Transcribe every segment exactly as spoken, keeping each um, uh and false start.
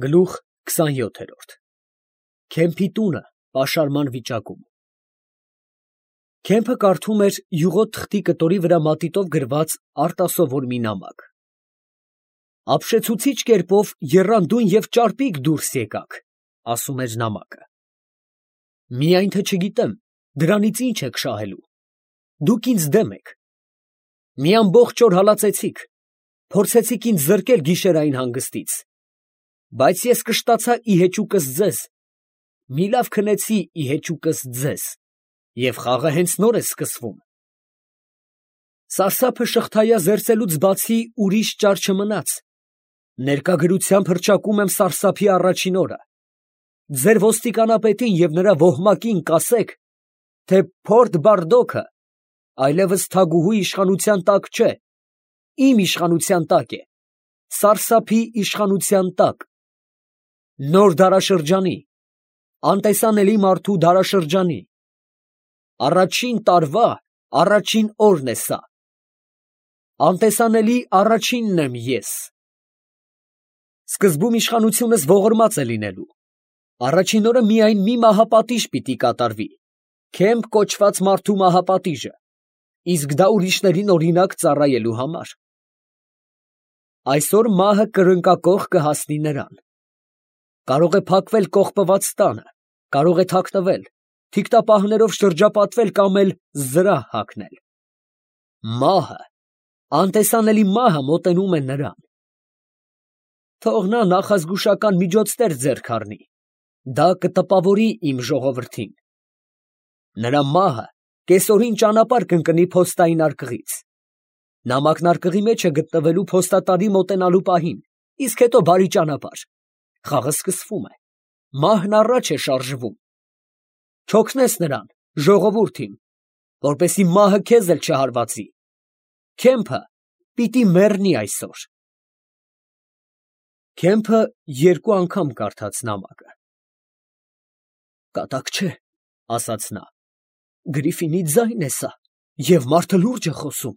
Գլուխ քսանյոթերորդ Քեմփի տունը պաշարման վիճակում։ Քեմփը կարդում էր յուղոտ թղթի կտորի վրա մատիտով գրված արտասովոր մի նամակ։ Ապշեցուցիչ կերպով եռանդուն և ճարպիկ դուրս եկաք, ասում էր նամակը։ Միայն թե չգիտեմ, դրանից ինչ եք շահելու։ Դուք ինձ դեմ եք։ Մի ամբողջ օր հալածեցիք, փորձեցիք ինձ զրկել գիշերային հանգստից, բայց ես կշտացա ի հեճուկս ձեզ, մի լավ քնեցի ի հեճուկս ձեզ, և խաղը հենց նոր է սկսվում։ Սարսափը շղթայա զերծելուց բացի ուրիշ ճար չմնաց, ներկա գրությամբ հռչակում եմ սարսափի առաջին օրը։ Ձեր ոստիկանապետին և նրա ոհմակին կասեք, թե Փորդ Բարդոքը այլևս թագուհու իշխանության տակ չէ, իմ իշխանության տակ է, սարսափի իշխանության տակ, նոր դարաշրջանի, անտեսանելի մարդու դարաշրջանի, առաջին տարվա առաջին օրն է սա, անտեսանելի առաջինն եմ ես։ Սկզբում իշխանությունս ողորմած է լինելու, առաջին օրը միայն մի մահապատիժ պիտի կատարվի, Քեմփ կոչված մարդու մահապատիժը, իսկ դա ուրիշներին օրինակ ծառայելու համար։ Այսօր մահը կրնկակոխ կհասնի նրան։ Կարող է փակվել կողպված տանը, կարող է թաքնվել, թիկտապահներով շրջապատվել կամ էլ զրահ հագնել։ Մահը, անտեսանելի մահը մոտենում է նրան։ Թող նա նախազգուշական միջոցներ ձեռք առնի, դա կտպավորի իմ ժողովրդին։ Նրա մահը կեսօրին ճանապարհ կընկնի փոստային արկղից։ Նամակն արկղի մեջ է գտնվելու փոստատարի մոտենալու պահին, իսկ հետո բարի ճանապարհ։ Խաղը սկսվում է, մահն առաջ է շարժվում։ Չօգնես նրան, ժողովուրդ իմ, որպեսզի մահը քեզ էլ չհարվածի։ Քեմփը պիտի մեռնի այսօր։ Քեմփը երկու անգամ կարդաց նամակը։ Կատակ չէ, ասաց նա, Գրիֆինի ձայն է սա, և մարդը լուրջ է խոսում։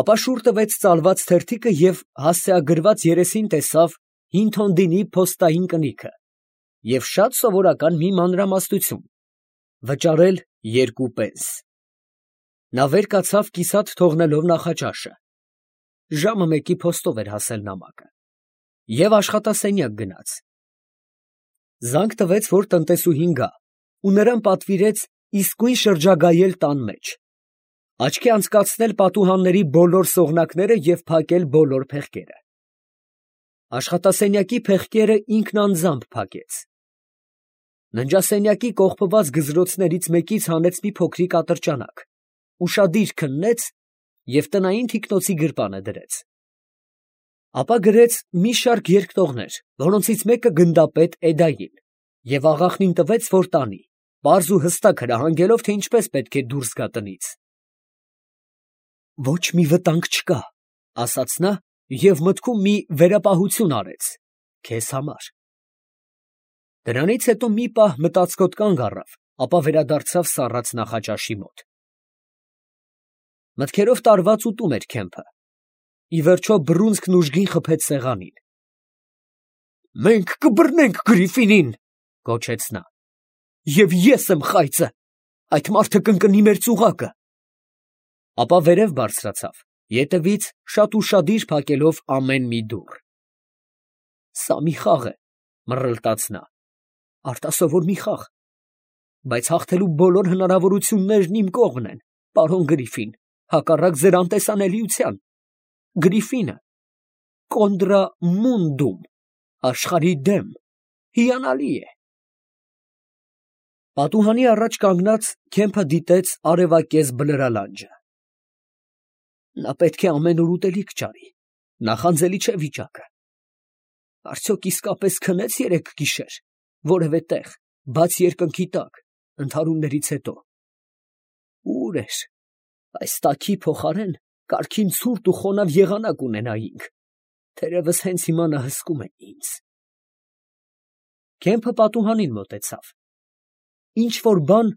Ապա շուռ տվեց ծալված թերթիկը և հասցեագրված երեսին տեսավ Հինթոնդինի փոստային կնիքը և շատ սովորական մի մանրամասնություն, վճարել երկու պենս։ Նա վեր կացավ կիսատ թողնելով նախաճաշը, ժամը մեկի փոստով էր հասել նամակը, և աշխատասենյակ գնաց։ Զանգ տվեց, որ տնտեսուհին գա, ու նրան պատվիրեց իսկույն շրջագայել տան մեջ, աչքի անցկացնել պատուհանների բոլոր սողնակները և փակել բոլոր փեղկերը։ Աշխատասենյակի փեղկերը ինքն անձամբ փակեց։ Ննջասենյակի կողպված գզրոցներից մեկից հանեց մի փոքրիկ ատրճանակ, ուշադիր քննեց և տնային թիկնոցի գրպանը դրեց։ Ապա գրեց մի շարք երկտողներ, որոնցից մեկը գնդապետ Էդային, և աղախնին տվեց, որ տանի, պարզ ու հստակ հրահանգելով, թե ինչպես պետք է դուրս գա տնից։ Ոչ մի վտանգ չկա, ասաց նա և մտքում մի վերապահություն արեց, քեզ համար։ Դրանից հետո մի պահ մտածկոտ կանգ առավ, ապա վերադարձավ սառած նախաճաշի մոտ։ Մտքերով տարված ուտում էր Քեմփը։ Ի վերջո բռունցքն ուժգին խփեց սեղանին։ Մենք կբռնենք Գրիֆինին, գոչեց նա, և ես եմ խայծը, այդ մարդը կընկնի մեր ծուղակը։ Ապա վերև բարձրացավ, ետևից շատ ուշադիր փակելով ամեն մի դուռ։ Սա մի խաղ է, մռռլտաց նա, արտասովոր մի խաղ, բայց հաղթելու բոլոր հնարավորություններն իմ կողմն են, պարոն Գրիֆին, հակառակ ձեր անտեսանելիության։ Գրիֆինը կոնդրա մունդում, աշխարհի դեմ, հիանալի է։ Պատուհանի առաջ կանգնած Քեմփը դիտեց արևակեզ բլրալանջը։ Նա պետք է ամեն օր ուտելիք ճարի, նախանձելի չէ վիճակը։ Արդյոք իսկապես քնե՞ց երեկ գիշեր, որևէ տեղ, բաց երկնքի տակ, ընդհարումներից հետո։ Ո՞ւր էր, այս տաքի փոխարեն կարգին ցուրտ ու խոնավ եղանակ ունենայինք, թերևս հենց հիմա նա հսկում է ինձ։ Քեմփը պատուհանին մոտեցավ։ Ինչ֊որ բան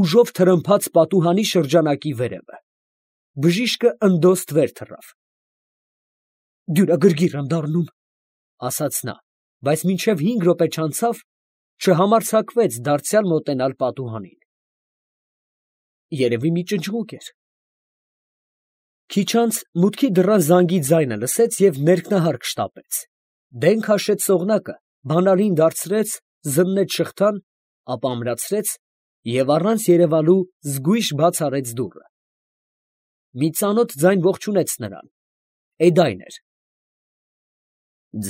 ուժով թրմփաց պատուհանի շրջանակի վերևը։ Բժիշկը ընդոստ վեր թռավ։ Դյուրագրգիռ եմ դառնում, ասաց նա, բայց մինչև հինգ րոպե չանցավ, չհամարձակվեց դարձյալ մոտենալ պատուհանին։ Երևի մի ճնճղուկ էր։ Քիչ անց մուտքի դռան զանգի ձայնը լսեց և ներքնահարկ շտապեց։ Դեն քաշեց սողնակը, բանալին դարձրեց, զննեց շղթան, ապա ամրացրեց և առանց երևալու զգույշ բաց արեց դուռը։ Մի ծանոթ ձայն ողջունեց նրան. Էդայն էր։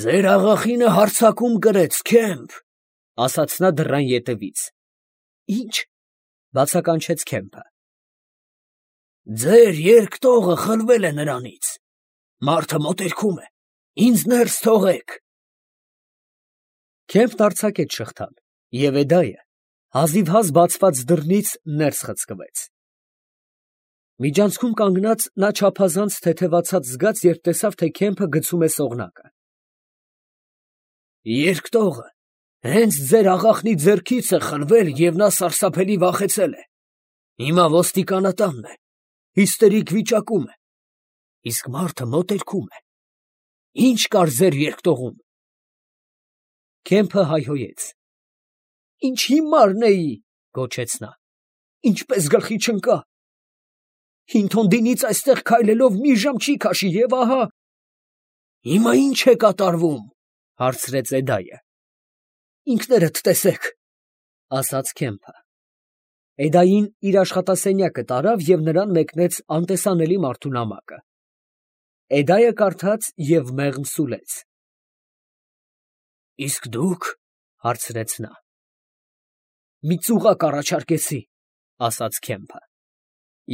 «Ձեր աղախինը հարձակում կրեց, Քեմփ, ֊ ասաց նա դռան ետևից։ ֊ Ի՞նչ, ֊ բացականչեց Քեմփը։ ֊ Ձեր երկտողը խլվել է նրանից. մարդը մոտերքում է, ինձ ներս թողեք։ Քեմփն արձակեց շղթան, և Էդայը հազիվհազ բացված դռնից ներս խցկվեց։ Միջանցքում կանգնած նա չափազանց թեթևացած զգաց, երբ տեսավ, թե Քեմփը գցում է սողնակը։ Երկտողը հենց ձեր աղախնի ձեռքից է խլվել և նա սարսափելի վախեցել է. հիմա ոստիկանատանն է, հիստերիկ վիճակում է, իսկ մարդը մոտերքում է, ի՞նչ կար ձեր երկտողում։ Քեմփը հայհոյեց։ Ինչ հիմարն էի, ֊ գոչեց նա, ֊ ինչպես գլխի չընկա։ Հինթոնդինից այստեղ քայլելով մի ժամ չի քաշի, և ահա… Հիմա ի՞նչ է կատարվում, ֊ հարցրեց Էդայը։ Ինքներդ տեսեք, ֊ ասաց Քեմփը։ Էդային իր աշխատասենյակը տարավ և նրան մեկնեց անտեսանելի մարդու նամակը։ Էդայը կարդաց և մեղմ սուլեց։ Իսկ դուք, ֊ հարցրեց նա։ Մի ծուղակ առաջարկեցի, ֊ ասաց Քեմփը,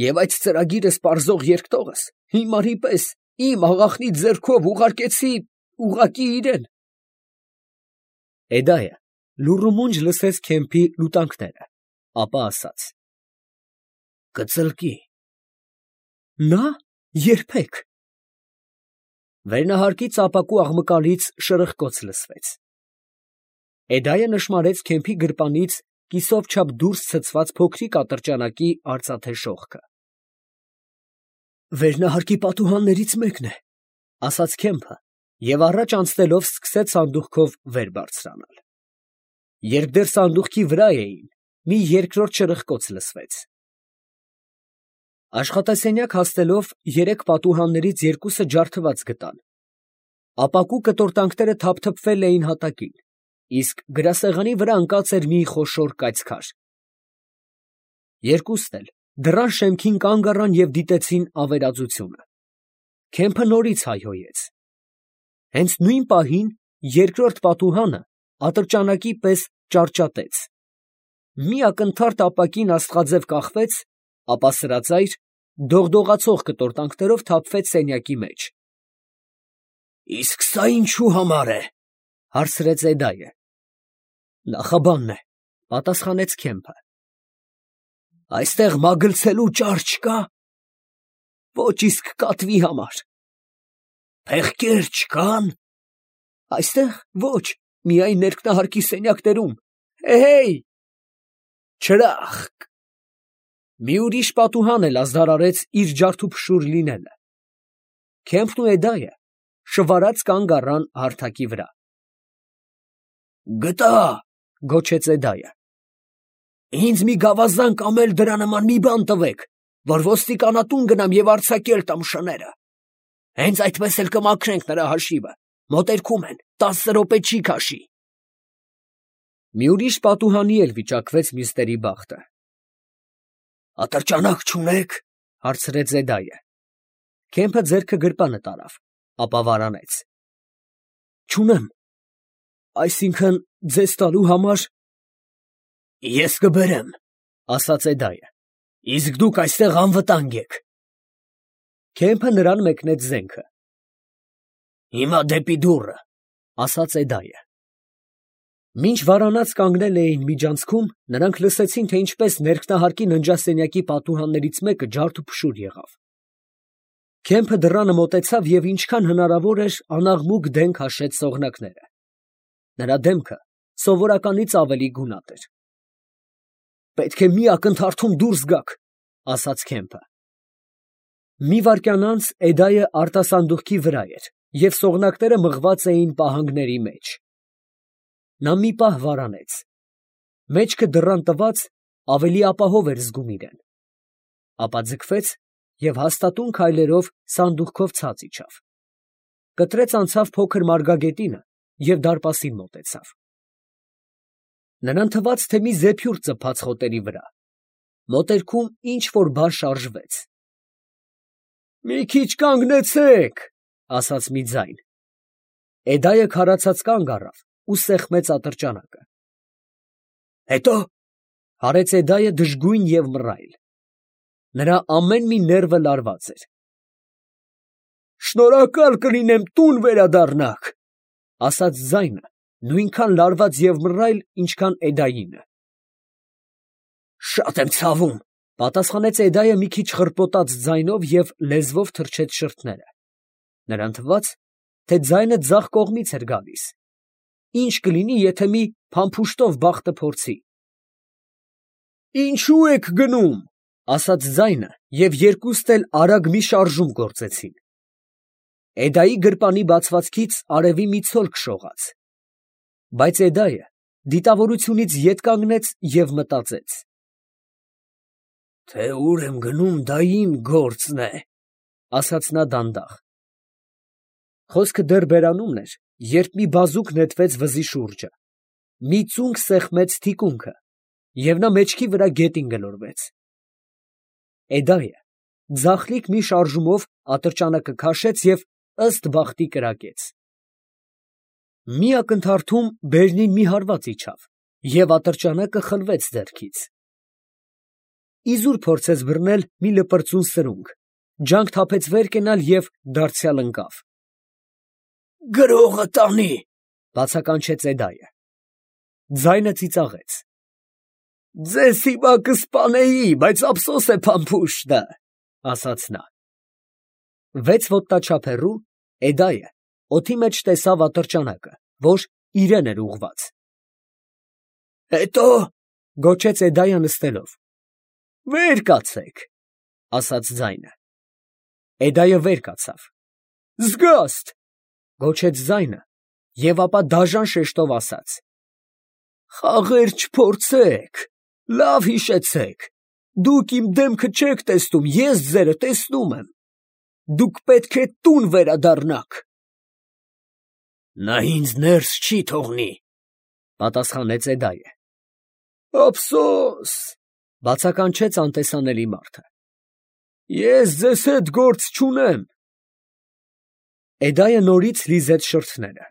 և այդ ծրագիրը սպառզող երկտողս հիմարի պես իմ աղախնի ձեռքով ուղարկեցի ուղղակի իրան։ Էդայը լուռումունջ լսեց Քեմփի լուտանքները, ապա ասաց. Կծլկի։ Նա, երբեք։ Վերնահարկից ապակու աղմկալից շրխկոց լսվեց։ Էդայը նշմարեց Քեմփի գրպանից կիսով չափ դուրս ցցված փոքրիկ ատրճանակի արծաթե շողքը։ Վերնահարկի պատուհաններից մեկն է, ֊ ասաց Քեմփը և առաջ անցնելով սկսեց սանդուղքով վեր բարձրանալ։ Երբ դեռ սանդուղքի վրա էին, մի երկրորդ շրխկոց լսվեց։ Աշխատասենյակ հասնելով երեք պատուհաններից երկուսը ջարդված գտան։ Ապակու կտորտանքները թափթփվել էին հատակին, իսկ գրասեղանի վրա ընկած էր մի խոշոր կայծքար։ Երկուսն էլ դռան շեմքին կանգ առան և դիտեցին ավերածությունը։ Քեմփը նորից հայհոյեց։ Հենց նույն պահին երկրորդ պատուհանը ատրճանակի պես ճարճատեց։ Մի ակնթարթ ապակին աստղաձև կախվեց, ապա սրածայր, դողդողացող կտորտանքներով թափվեց սենյակի մեջ։ Իսկ սա ինչու համար է, ֊ հարցրեց Էդայը։ Նախաբանն է, ֊ պատասխանեց Քեմփը։ Այստեղ մագլցելու ճար չկա։ Ոչ, իսկ կատվի համար։ Փեղկեր չկան։ Այստեղ ոչ, միայն ներքնահարկի սենյակներում։ Էհեյ… Չրախկ… Մի ուրիշ պատուհան էլ ազդարարեց իր ջարդուփշուր լինելը։ Քեմփն ու Էդայը շվարած կանգ առան հարթակի վրա։ Գտա, ֊ գոչեց Էդայը։ Ինձ մի գավազան կամ էլ դրա նման մի բան տվեք, որ ոստիկանատուն գնամ և արձակել տամ շները։ Հենց այդպես էլ կմաքրենք նրա հաշիվը, մոտերքում են, տասը րոպե չի քաշի։ Մի ուրիշ պատուհանի էլ վիճակվեց մյուսների բախտը։ Ատրճանակ չունե՞ք, ֊ հարցրեց Էդայը։ Քեմփը ձեռքը գրպանը տարավ, ապա վարանեց։ Չունեմ, այսինքն ձեզ տալու համար… Ես կբերեմ, ֊ ասաց Էդայը, իսկ դուք այստեղ անվտանգ եք։ Քեմփը նրան մեկնեց զենքը։ Հիմա դեպի դուռը, ֊ ասաց Էդայը։ Մինչ վարանած կանգնել էին միջանցքում, նրանք լսեցին, թե ինչպես ներքնահարկի ննջասենյակի պատուհաններից մեկը ջարդուփշուր եղավ։ Քեմփը դռանը մոտեցավ և ինչքան հնարավոր էր անաղմուկ դեն քաշեց սողնակները։ Նրա դեմքը սովորականից ավելի գունատ էր։ Պետք է մի ակնթարթում դուրս գաք, ֊ ասաց Քեմփը։ Մի վայրկյան անց Էդայը արտասանդուղքի վրա էր, և սողնակները մղված էին պահանգների մեջ։ Նա մի պահ վարանեց, մեջքը դռան տված ավելի ապահով էր զգում իրեն, ապա ձգվեց և հաստատուն քայլերով սանդուղքով ցած իջավ, կտրեց անցավ փոքր մարգագետինը և դարպասին մոտեցավ։ Նրան թվաց, թե մի զեփյուռ ծփաց խոտերի վրա, մոտերքում ինչ֊որ բան շարժվեց։ «Մի քիչ կանգնեցե՛ք», ասաց մի ձայն։ Էդայը քարացած կանգ առավ ու սեղմեց ատրճանակը։ «Հետո՞», հարեց Էդայը դժգույն և մռայլ. նրա ամեն մի ներվը լարված էր։ «Շնորհակալ կլինեմ, տուն վերադառնաք», ասաց ձայնը նույնքան լարված և մռայլ, ինչքան Էդայինը։ «Շատ եմ ցավում», պատասխանեց Էդայը մի քիչ խռպոտած ձայնով և լեզվով թրջեց շրթները։ Նրան թվաց, թե ձայնը ձախ կողմից էր գալիս։ Ի՞նչ կլինի, եթե մի փամփուշտով բախտը փորձի։ «Ինչո՞ւ եք գնում», ասաց ձայնը, և երկուստ էլ արագ մի շարժում գործեցին։ Էդայի գրպանի բացվածքից արևի մի ցոլք շողաց։ Բայց Էդայը դիտավորությունից ետ կանգնեց և մտածեց. «Թե ուր եմ գնում, դա իմ գործն է», ասաց նա դանդաղ։ Խոսքը դեռ բերանումն էր, երբ մի բազուկ նետվեց վզի շուրջը, մի ծունկ սեղմեց թիկունքը, և նա մեջքի վրա գետին գլորվեց։ Էդայը ձախլիկ մի շարժումով ատրճանակը քաշեց և ըստ բախտի կրակեց։ Մի ակնթարթում բերնին մի հարված իջավ, և ատրճանակը խլվեց ձեռքից։ Իզուր փորձեց բռնել մի լպրծուն սրունգ, ջանք թափեց վեր կենալ և դարձյալ ընկավ։ «Գրողը տանի», բացականչեց Էդայը։ Ձայնը ծիծաղեց։ «Ձեզ հիմա կսպանեի, բայց ափսոս է փամփուշտը», ասաց նա։ Վեց ոտնաչափ հեռու Էդայը օդի մեջ տեսավ ատրճանակը, որ իրան էր ուղղված։ «Հետո՞», գոչեց Էդայը նստելով։ «Վեր կացեք», ասաց ձայնը։ Էդայը վեր կացավ։ «Զգաստ», գոչեց ձայնը և ապա դաժան շեշտով ասաց. «Խաղեր չփորձեք, լավ հիշեցեք, դուք իմ դեմքը չեք տեսնում, ես ձերը տեսնում եմ, դուք պետք է տուն վերադառնաք»։ «Նա ինձ ներս չի թողնի», պատասխանեց Էդայը։ «Ափսոս», բացականչեց անտեսանելի մարդը։ «Ես ձեզ հետ գործ չունեմ»։ Էդայը նորից լիզեց շրթները։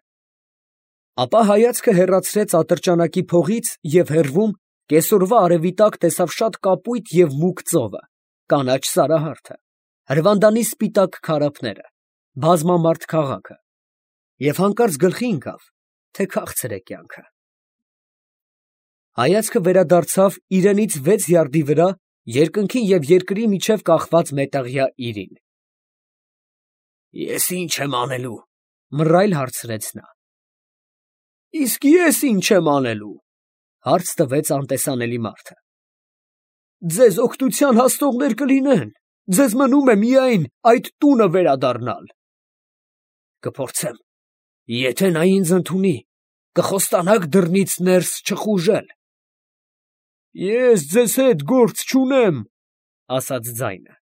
Ապա հայացքը հեռացրեց ատրճանակի փողից և հեռվում կեսօրվա արևի տակ տեսավ շատ կապույտ և մուգ ծովը, կանաչ սարահարթը, հրվանդանի սպիտակ քարափները, բազմամարդ քաղաքը, և հանկարծ գլխի ընկավ, թե քաղցր է կյանքը։ Հայացքը վերադարձավ իրենից վեց յարդի վրա երկնքի և երկրի միջև կախված մետաղյա իրին։ «Ես ի՞նչ եմ անելու», մռայլ հարցրեց նա։ «Իսկ ես ի՞նչ եմ անելու», հարց տվեց անտեսանելի մարդը։ «Ձեզ օգնության հասնողներ կլինեն, ձեզ մնում է միայն այդ տունը վերադառնալ»։ «Կփորձեմ, եթե նա ինձ ընդունի, կխոստանաք դռնից ներս չխուժել»։ «Ես ձեզ հետ գործ չունեմ», ասաց ձայնը։